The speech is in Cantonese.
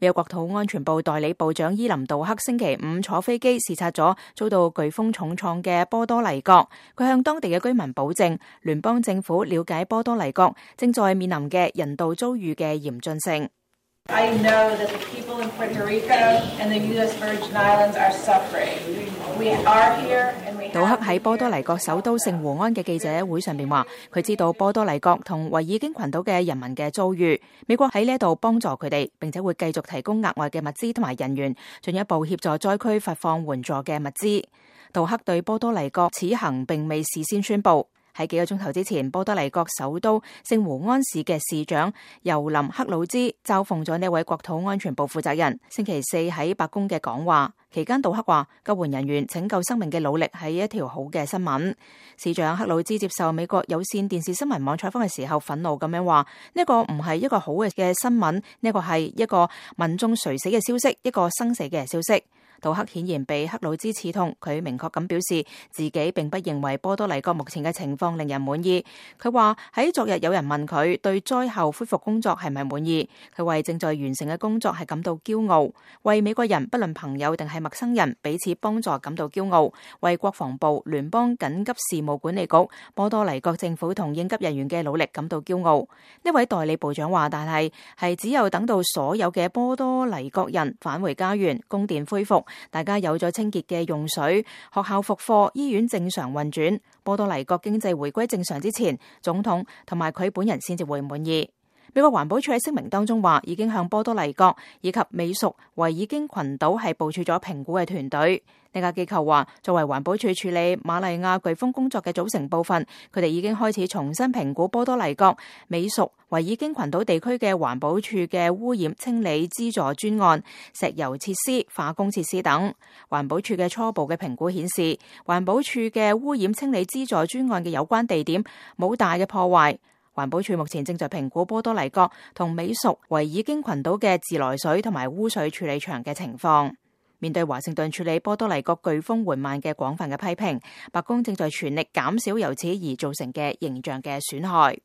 美國國土安全部代理部長伊林杜克星期五坐飛機視察咗遭到颶風重創嘅波多黎各，佢向當地嘅居民保證，聯邦政府了解波多黎各正在面臨嘅人道遭遇嘅嚴峻性。I know that the people in Puerto Rico and the U.S. Virgin Islands are suffering. We are here and we have... 杜克喺波多黎各首都聖胡安嘅記者會上邊話，佢知道波多黎各同維爾京群島嘅人民嘅遭遇，美國喺呢一度幫助佢哋，並且會繼續提供額外嘅物資同埋人員，進一步協助災區發放援助嘅物資。杜克對波多黎各此行並未事先宣佈。喺幾個鐘頭之前，波多黎各首都聖胡安市嘅市長尤林克魯茲嘲諷咗呢位國土安全部負責人。星期四喺白宮嘅講話期間，杜克話救援人員拯救生命嘅努力係一條好嘅新聞。市長克魯茲接受美國有線電視新聞網採訪嘅時候，憤怒咁樣話：呢個唔係一個好嘅新聞，呢個係一個民眾垂死嘅消息，一個生死嘅消息。杜克顯然被克魯茲刺痛，佢明確咁表示自己並不認為波多黎各目前嘅情況令人滿意。佢話喺昨日有人問佢對災後恢復工作係咪滿意，佢為正在完成嘅工作係感到驕傲，為美國人不論朋友定係陌生人彼此幫助感到驕傲，為國防部、聯邦緊急事務管理局、波多黎各政府同應急人員嘅努力感到驕傲。呢位代理部長話，但係只有等到所有嘅波多黎各人返回家園，供電恢復，大家有咗清潔嘅用水，學校復課，醫院正常運轉，波多黎各經濟回歸正常之前，總統同埋佢本人先至會滿意。美國環保署喺聲明當中話，已經向波多黎各以及美屬維爾京群島係部署咗評估嘅團隊。呢家機構話，作為環保署處理瑪麗亞颶風工作嘅組成部分，佢哋已經開始重新評估波多黎各、美屬維爾京群島地區嘅環保署嘅污染清理資助專案、石油設施、化工設施等。環保署嘅初步嘅評估顯示，環保署嘅污染清理資助專案嘅有關地點冇大嘅破壞。環保署目前正在評估波多黎各同美屬維爾京群島嘅自來水同埋污水處理場嘅情況。面對華盛頓處理波多黎各颶風緩慢嘅廣泛嘅批評，白宮正在全力減少由此而造成嘅形象嘅損害。